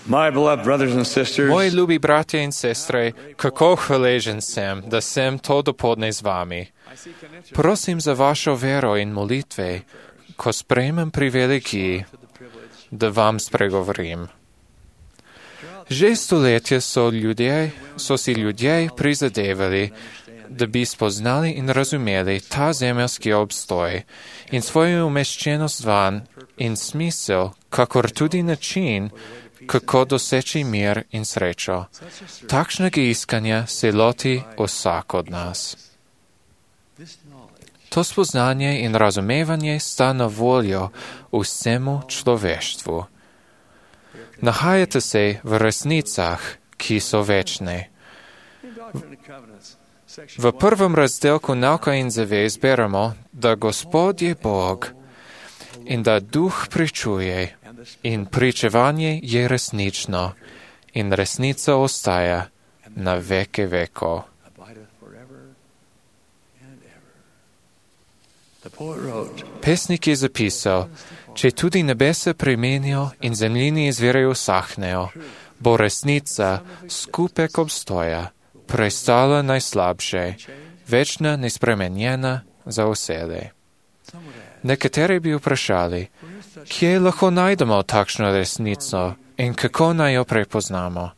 My beloved brothers and sisters, Moji ljubi bratje in sestre, kako hvaležen sem, da sem to dopoldne z vami. Prosim za vašo vero in molitve, ko sprejmem privilegij, da vam spregovorim. Že stoletja so si ljudje prizadevali, da bi spoznali in razumeli ta zemeljski obstoj in svojo umeščenost van in smisel, kakor tudi način, kako doseči mir in srečo. Takšnega iskanja se loti vsak od nas. To spoznanje in razumevanje sta na voljo vsemu človeštvu. Nahajate se v resnicah, ki so večne. V prvem razdelku Nauka in zavez beremo, da Gospod je Bog in da Duh pričuje in pričevanje je resnično in resnica ostaja na veke vekov. Pesnik je zapisal, če tudi nebesa premenijo in zemljini izvire usahnejo, bo resnica skupek obstoja, prestala najslabše, večna, nespremenjena za vselej. Nekateri bi vprašali, kje lahko najdemo takšno resnico in kako naj jo prepoznamo.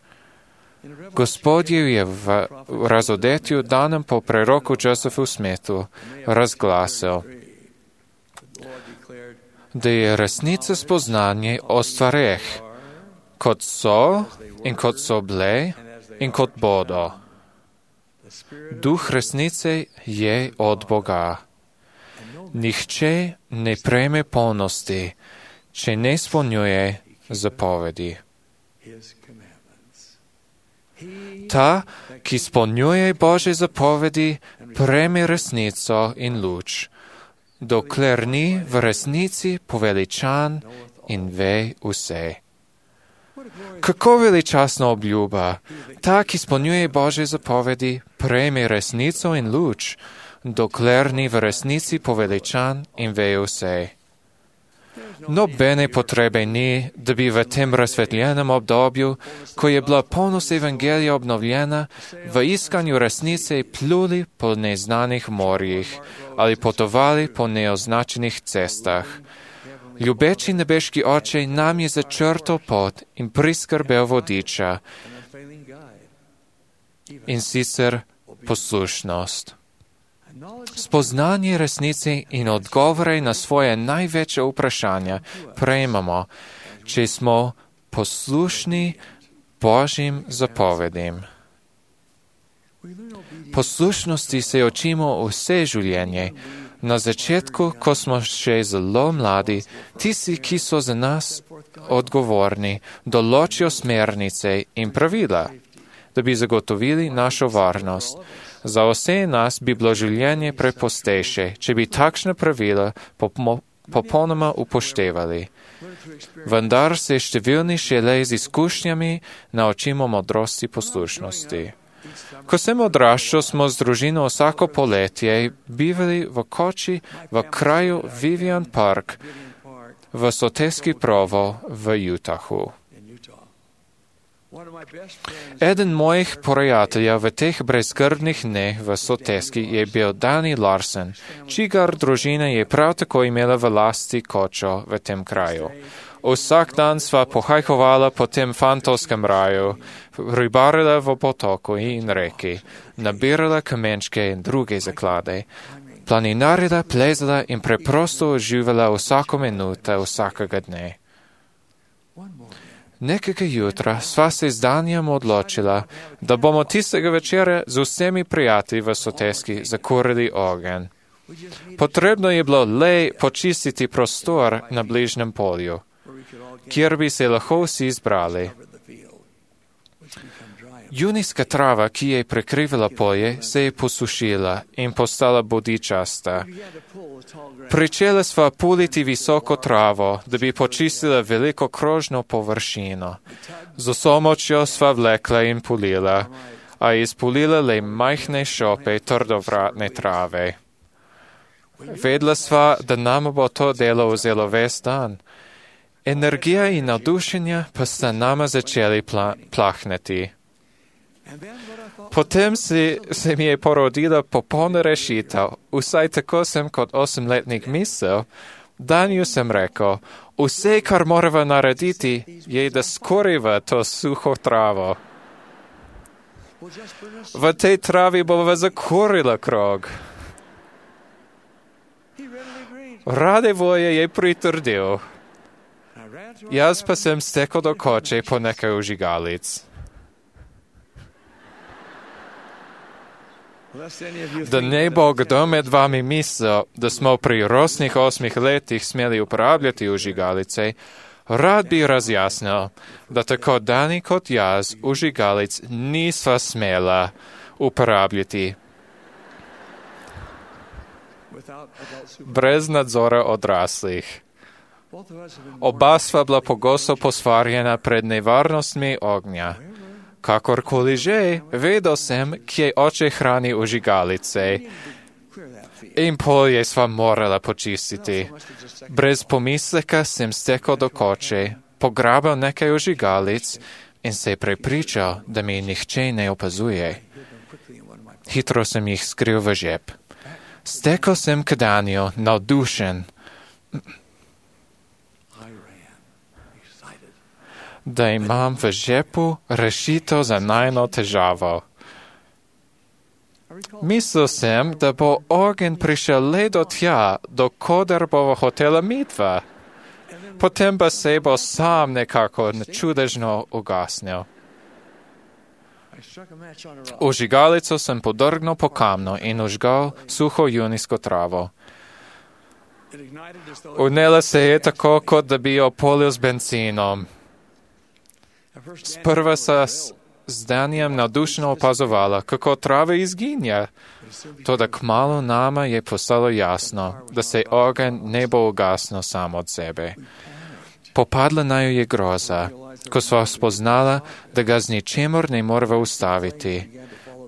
Gospod je v razodetju danem po preroku Josephu Smithu razglasil, da je resnica spoznanje o stvareh, kot so in kot so bile in kot bodo. Duh resnice je od Boga. Nihče ne prejme polnosti, če ne izpolnjuje zapovedi. Ta, ki izpolnjuje Božje zapovedi, prejme resnico in luč, dokler ni v resnici poveličan in ve vse. Kako veličastna obljuba! Ta, ki izpolnjuje Božje zapovedi, prejme resnico in luč, dokler ni v resnici poveličan in ve vse. Nobene potrebe ni, da bi v tem razsvetljenem obdobju, ko je bila polnost evangelija obnovljena, v iskanju resnice pluli po neznanih morjih ali potovali po neoznačenih cestah. Ljubeči nebeški Oče nam je začrtal pot in priskrbel vodiča, in sicer poslušnost. Spoznanje resnice in odgovore na svoje največje vprašanja prejmemo, če smo poslušni Božjim zapovedim. Poslušnosti se učimo vse življenje. Na začetku, ko smo še zelo mladi, tisti, ki so za nas odgovorni, določijo smernice in pravila, da bi zagotovili našo varnost. Za vse nas bi bilo življenje prepostejše, če bi takšna pravila popolnoma upoštevali. Vendar se številni šele z izkušnjami naučimo modrosti poslušnosti. Ko sem odraščal, smo z družino vsako poletje bivali v koči v kraju Vivian Park v Soteski Provo v Utahu. Eden mojih prijateljev v teh brezskrbnih dneh v Soteski je bil Danny Larsen, čigar družina je prav tako imela v lasti kočo v tem kraju. Vsak dan sva pohajkovala po tem fantovskem raju, ribarila v potoku in reki, nabirala kamenčke in druge zaklade, planinarila, plezala in preprosto uživala vsako minuto vsakega dne. Nekega jutra sva se z Danjem odločila, da bomo tistega večera z vsemi prijatelji v Soteski zakurili ogenj. Potrebno je bilo le počistiti prostor na bližnjem polju, kjer bi se lahko vsi zbrali. Junijska trava, ki je prekrivala polje, se je posušila in postala bodičasta. Pričela sva puliti visoko travo, da bi počistila veliko krožno površino. Z vso močjo sva vlekla in pulila, a izpulila le majhne šope trdovratne trave. Vedela sva, da nam bo to delo vzelo ves dan Energija in navdušenje pa sta nama začeli plahneti. Potem se mi je porodila popolna rešitev, vsaj tako sem kot 8-letnik mislil. Danju sem rekel, vse, kar moramo narediti, je, da skoriva to suho travo. V tej travi bova zakorila krog. Rade volje je pritrdil. Jaz pa sem stekel do koče po nekaj vžigalic. Da ne bo kdo med vami mislil, da smo pri rosnih 8 letih smeli uporabljati vžigalice, rad bi razjasnil, da tako Dani kot jaz vžigalic nisva smela uporabljati brez nadzora odraslih. Oba sva bila pogosto posvarjena pred nevarnostmi ognja. Kakorkoli že, vedel sem, kje oče hrani vžigalice in polje sva morala počistiti. Brez pomisleka sem stekel do koče, pograbil nekaj vžigalic in se prepričal, da mi nihče ne opazuje. Hitro sem jih skril v žep. Stekel sem k Daniju, navdušen, da imam v žepu rešitev za najno težavo. Mislil sem, da bo ogenj prišel le do tja, dokoder bova hotela midva. Potem pa se bo sam nekako čudežno ugasnil. Vžigalico sem podrgnil po kamnu in vžgal suho junijsko travo. Vnela se je tako, kot da bi jo polil z benzinom. Sprva sta z Danijem navdušeno opazovala, kako trava izginja. Toda kmalu nama je postalo jasno, da se ogenj ne bo ugasnil sam od sebe. Popadla naju je groza, ko sva spoznala, da ga z ničemor ne morava ustaviti.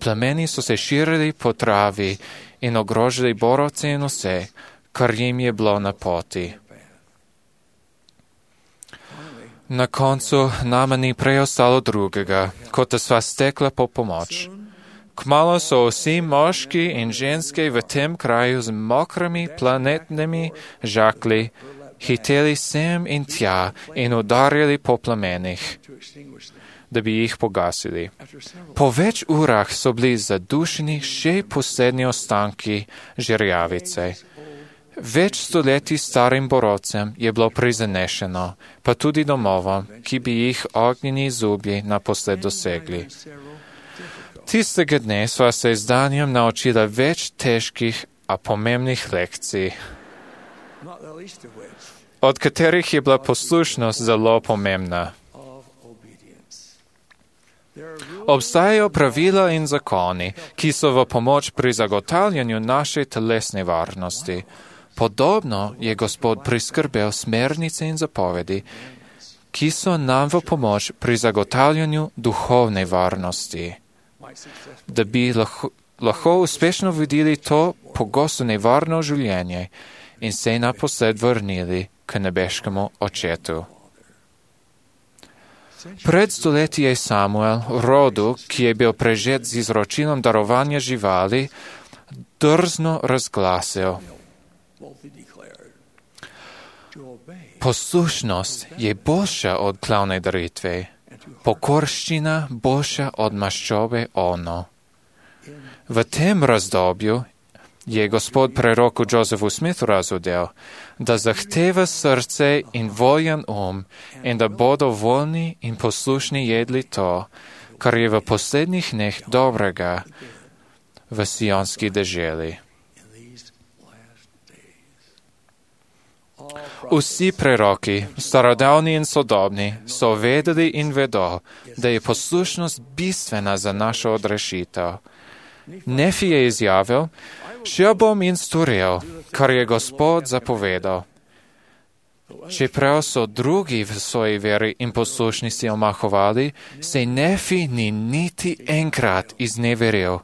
Plameni so se širili po travi in ogrožili borovce in vse, kar jim je bilo na poti. Na koncu nama ni preostalo drugega, kot da sva stekla po pomoč. Kmalu so vsi moški in ženske v tem kraju z mokrimi planetnimi žakli hiteli sem in tja in udarjali po plamenih, da bi jih pogasili. Po več urah so bili zadušeni še poslednji ostanki žerjavice. Več stoletij starim borovcem je bilo prizanešeno, pa tudi domovom, ki bi jih ognjeni zublji naposled dosegli. Tistega dne sva se z Danjem naučila več težkih, a pomembnih lekcij, od katerih je bila poslušnost zelo pomembna. Obstajajo pravila in zakoni, ki so v pomoč pri zagotavljanju naše telesne varnosti. Podobno je Gospod priskrbel smernice in zapovedi, ki so nam v pomoč pri zagotavljanju duhovne varnosti. Da bi lahko uspešno vodili to pogosto nevarno življenje in se naposled vrnili k nebeškemu očetu. Pred stoletji je Samuel, rodu, ki je bil prežet z izročilom darovanja živali, drzno razglasil: poslušnost je boljša od klavne daritve, pokorščina boljša od maščobe ono. V tem razdobju je Gospod preroku Josephu Smithu razudel, da zahteva srce in voljen in da bodo voljni in poslušni jedli to, kar je v poslednjih dneh dobrega v sionski deželi. Vsi preroki, starodavni in sodobni, so vedeli in vedo, da je poslušnost bistvena za našo odrešitev. Nefi je izjavil: šel bom in storil, kar je Gospod zapovedal. Čeprav so drugi v svoji veri in poslušnosti omahovali, se Nefi ni niti enkrat izneveril,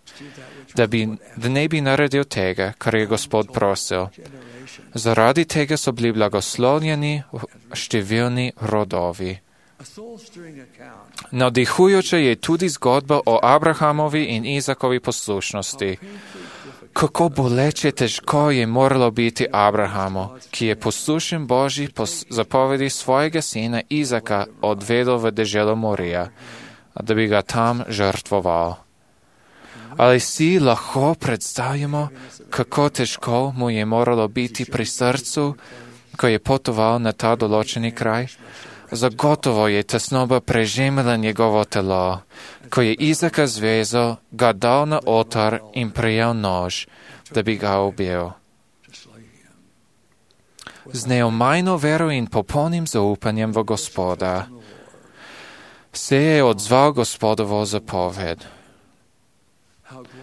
da ne bi naredil tega, kar je Gospod prosil. Zaradi tega so bili blagoslovljeni številni rodovi. Navdihujoča je tudi zgodba o Abrahamovi in Izakovi poslušnosti. Kako boleče težko je moralo biti Abrahamu, ki je poslušen Božji zapovedi svojega sina Izaka odvedel v deželo Morija, da bi ga tam žrtvoval. Ali si lahko predstavimo, kako težko mu je moralo biti pri srcu, ko je potoval na ta določeni kraj? Zagotovo je tesnoba prežemila njegovo telo. Ko je Izaka zvezal, ga dal na oltar in prijel nož, da bi ga ubil. Z neomajno vero in popolnim zaupanjem v Gospoda se je odzval Gospodovo zapoved.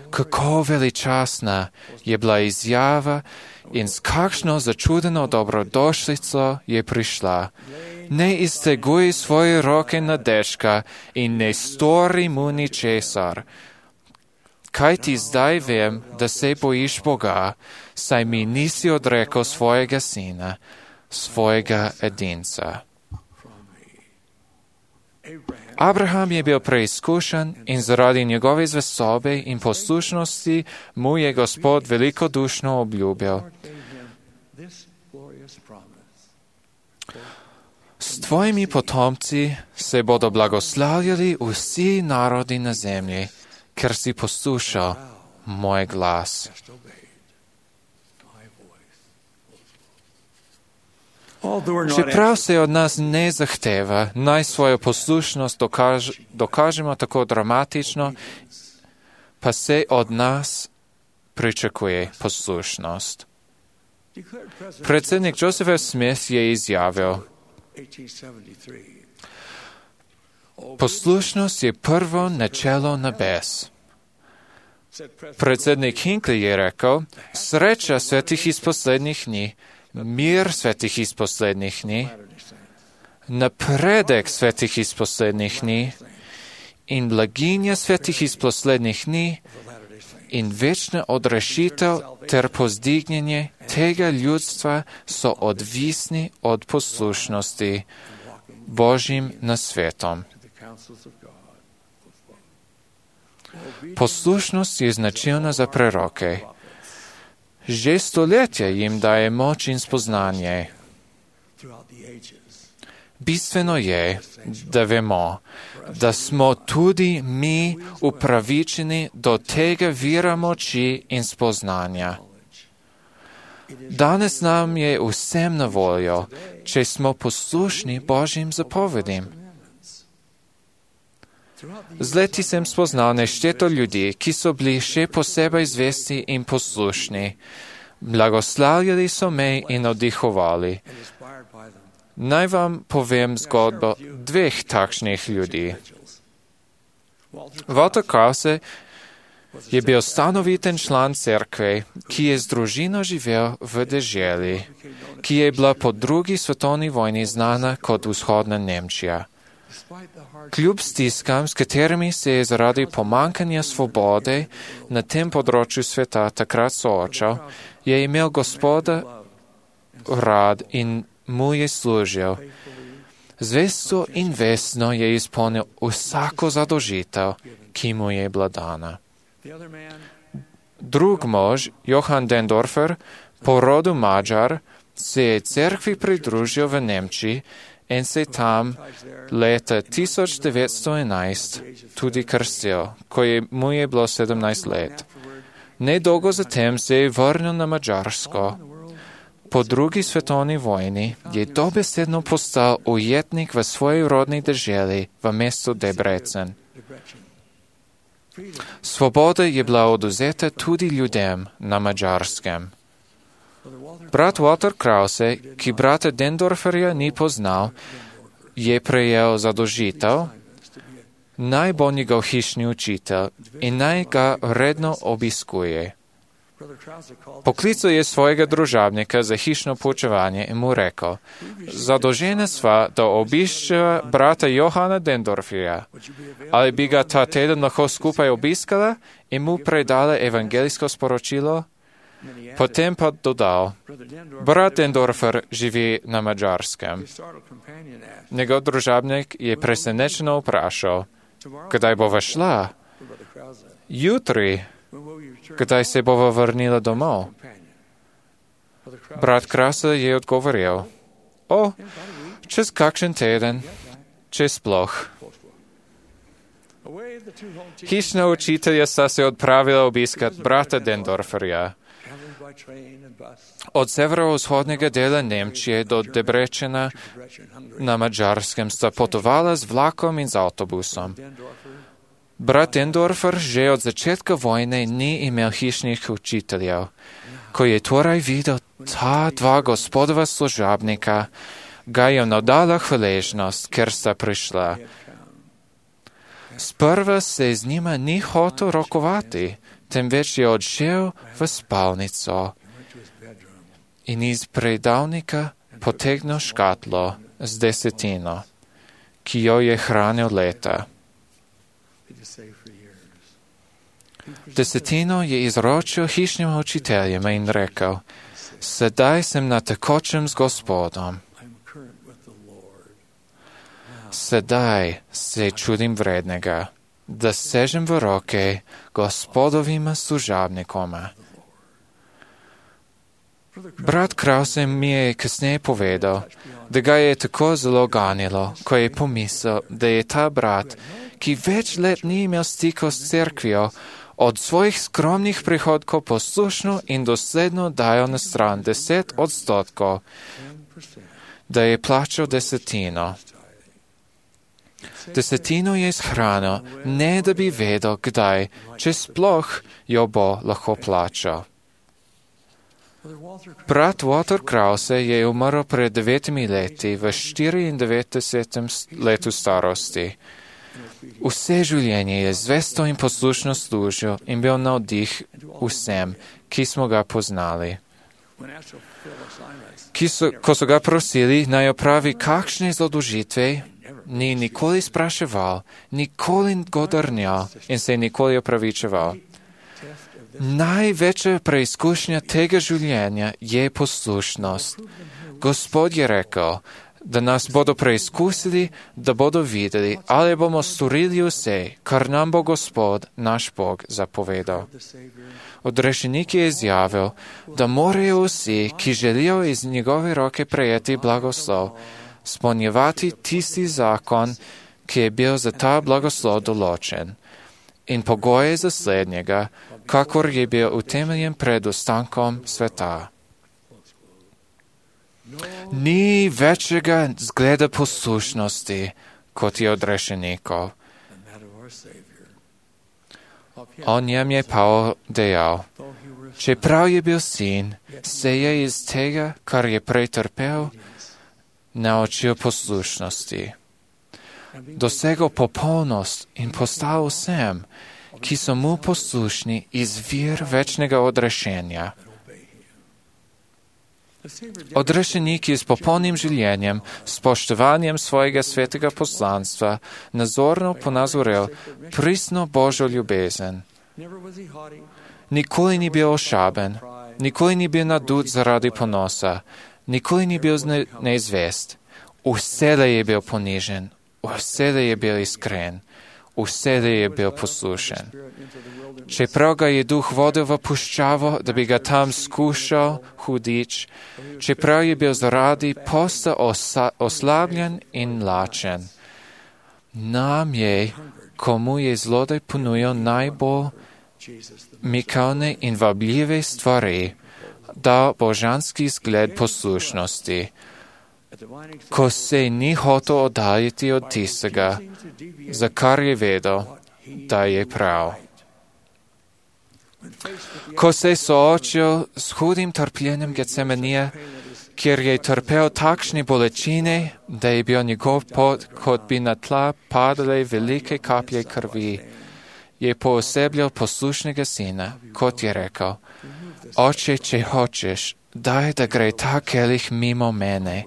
Kako veličasna je bila izjava in s kakšno začudeno dobrodošlico je prišla. Ne izteguj svoje roke na dečka in ne stori mu ničesar. Kaj ti zdaj vem, da se bojiš Boga, saj mi nisi odrekel svojega sina, svojega edinca. Abraham je bil preizkušen in zaradi njegove zvestobe in poslušnosti mu je Gospod velikodušno obljubil. S tvojimi potomci se bodo blagoslavljali vsi narodi na zemlji, ker si poslušal moj glas. Čeprav se od nas ne zahteva, naj svojo poslušnost dokažemo tako dramatično, pa se od nas pričakuje poslušnost. Predsednik Joseph Smith je izjavil, poslušnost je prvo načelo nebes. Predsednik Hinckley je rekel, sreča svetih iz poslednjih dni, mir svetih iz poslednjih dni, napredek svetih iz poslednjih dni in blaginja svetih iz poslednjih dni in večna odrešitev ter pozdignjenje tega ljudstva so odvisni od poslušnosti Božjim nasvetom. Poslušnost je značilna za preroke. Že stoletja jim daje moč in spoznanje. Bistveno je, da vemo, da smo tudi mi upravičeni do tega vira moči in spoznanja. Danes nam je vsem na voljo, če smo poslušni Božjim zapovedim. Z leti sem spoznal nešteto ljudi, ki so bili še posebej zvesti in poslušni. Blagoslavljali so me in navdihovali. Naj vam povem zgodbo dveh takšnih ljudi. Walter Krause je bil stanoviten član cerkve, ki je z družino živel v deželi, ki je bila po drugi svetovni vojni znana kot vzhodna Nemčija. Kljub stiskam, s katerimi se je zaradi pomankanja svobode na tem področju sveta takrat soočal, je imel Gospoda rad in mu je služil. Zvesto in vestno je izpolnil vsako zadolžitev, ki mu je bila dana. Drug mož, Johann Dendorfer, po rodu Mađar, se je cerkvi pridružil v Nemčiji in se tam leta 1911 tudi krstil, ko mu je bilo 17 let. Nedolgo zatem se je vrnil na Madžarsko. Po drugi svetovni vojni je dobesedno postal ujetnik v svoji rodni deželi v mestu Debrecen. Svoboda je bila odvzeta tudi ljudem na Madžarskem. Brat Walter Krause, ki brata Dendorferja ni poznal, je prejel zadolžitev, naj bo njegov hišni učitelj in naj ga redno obiskuje. Poklical je svojega družabnika za hišno poučevanje in mu rekel, zadolžena sva, da obiščeva brata Johana Dendorferja. Ali bi ga ta teden lahko skupaj obiskala in mu predala evangelijsko sporočilo? Potem pa dodal, brat Dendorfer živi na Mađarskem. Njegov družabnik je presenečeno vprašal, kdaj bova šla? Jutri, kdaj se bova vrnila domov? Brat Krause je odgovoril, čez kakšen teden, če sploh. Hišna učitelja sta se odpravila obiskat brata Dendorferja. Od severovzhodnega dela Nemčije do Debrecena na Mađarskem sta potovala z vlakom in z avtobusom. Brat Dendorfer že od začetka vojne ni imel hišnih učiteljev. Ko je torej videl ta dva gospodova služabnika, ga je navdala hvaležnost, ker sta prišla. Sprva se z njima ni hotel rokovati, temveč je odšel v spalnico in iz predalnika potegnil škatlo z desetino, ki jo je hranil leta. Desetino je izročil hišnim učiteljem in rekel, sedaj sem na tekočem z Gospodom. Sedaj se čudim vrednega, da sežem v roke Gospodovima služabnikoma. Brat Krause mi je kasneje povedal, da ga je tako zelo ganilo, ko je pomislil, da je ta brat, ki več let ni imel stikov s cerkvijo, od svojih skromnih prihodkov poslušno in dosledno dajal na stran 10%, da je plačal desetino. Desetino je izhranil, ne da bi vedel, kdaj, če sploh jo bo lahko plačal. Brat Walter Krause je umrl pred 9 leti v 94. letu starosti. Vse življenje je zvesto in poslušno služil in bil navdih vsem, ki smo ga poznali. Ko so ga prosili, naj opravi kakšne zadožitve, ni nikoli spraševal, nikoli godrnjal in se nikoli opravičeval. Največja preizkušnja tega življenja je poslušnost. Gospod je rekel, da nas bodo preizkusili, da bodo videli, ali bomo storili vse, kar nam bo Gospod, naš Bog, zapovedal. Odrešenik je izjavil, da morajo vsi, ki želijo iz njegove roke prejeti blagoslov, spolnjevati tisti zakon, ki je bil za ta blagoslov določen, in pogoje za slednjega, kakor je bil utemeljen pred ostankom sveta. Ni večjega zgleda poslušnosti, kot je odrešenikov. O njem je Pavol dejal, čeprav je bil sin, se je iz tega, kar je prej trpel, naučil poslušnosti. Dosegel popolnost in postal vsem, ki so mu poslušni, izvir večnega odrešenja. Odrešenik je s popolnim življenjem, spoštovanjem svojega svetega poslanstva, nazorno ponazoril pristno Božjo ljubezen. Nikoli ni bil ošaben, nikoli ni bil nadut zaradi ponosa, nikoli ni bil neizvest. Vselej je bil ponižen, vselej je bil iskren, vselej je bil poslušen. Čeprav ga je duh vodil v puščavo, da bi ga tam skušal hudič, čeprav je bil zaradi posta oslabljen in lačen. Nam je, komu je zlodej ponujal najbolj mikavne in vabljive stvari, dal božanski zgled poslušnosti, ko se ni hotel oddaljiti od tistega, za kar je vedel, da je prav. Ko se je soočil s hudim trpljenjem Getsemanije, kjer je trpel takšne bolečine, da je bil njegov pot, kot bi na tla padale velike kaplje krvi, je poosebljal poslušnega sina, kot je rekel, Oče, če hočeš, daj, da gre ta kelih mimo mene,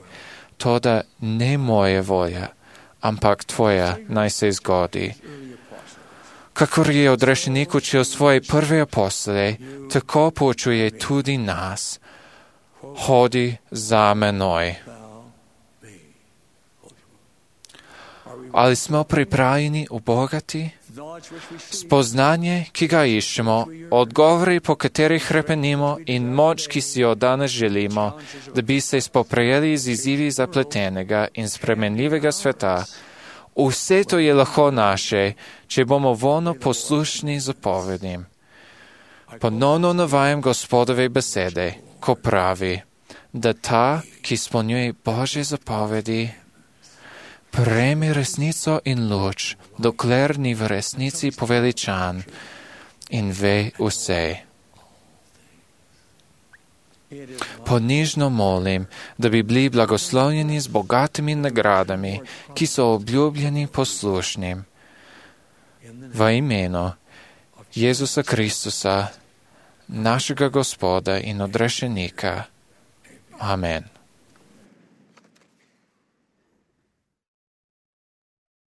toda ne moja volja, ampak tvoja naj se zgodi. Kakor je odrešenik učil svoje prve apostole, tako poučuje tudi nas. Hodi za menoj. Ali smo pripravljeni ubogati? Spoznanje, ki ga iščemo, odgovori, po katerih hrepenimo in moč, ki si jo danes želimo, da bi se spoprijeli z izzivi zapletenega in spremenljivega sveta, vse to je lahko naše, če bomo voljno poslušni zapovedim. Ponovno navajam Gospodove besede, ko pravi, da ta, ki izpolnjuje Božje zapovedi, prejme resnico in luč, dokler ni v resnici poveličan in ve vse. Ponižno molim, da bi bili blagoslovljeni z bogatimi nagradami, ki so obljubljeni poslušnim. V imenu Jezusa Kristusa, našega Gospoda in odrešenika. Amen.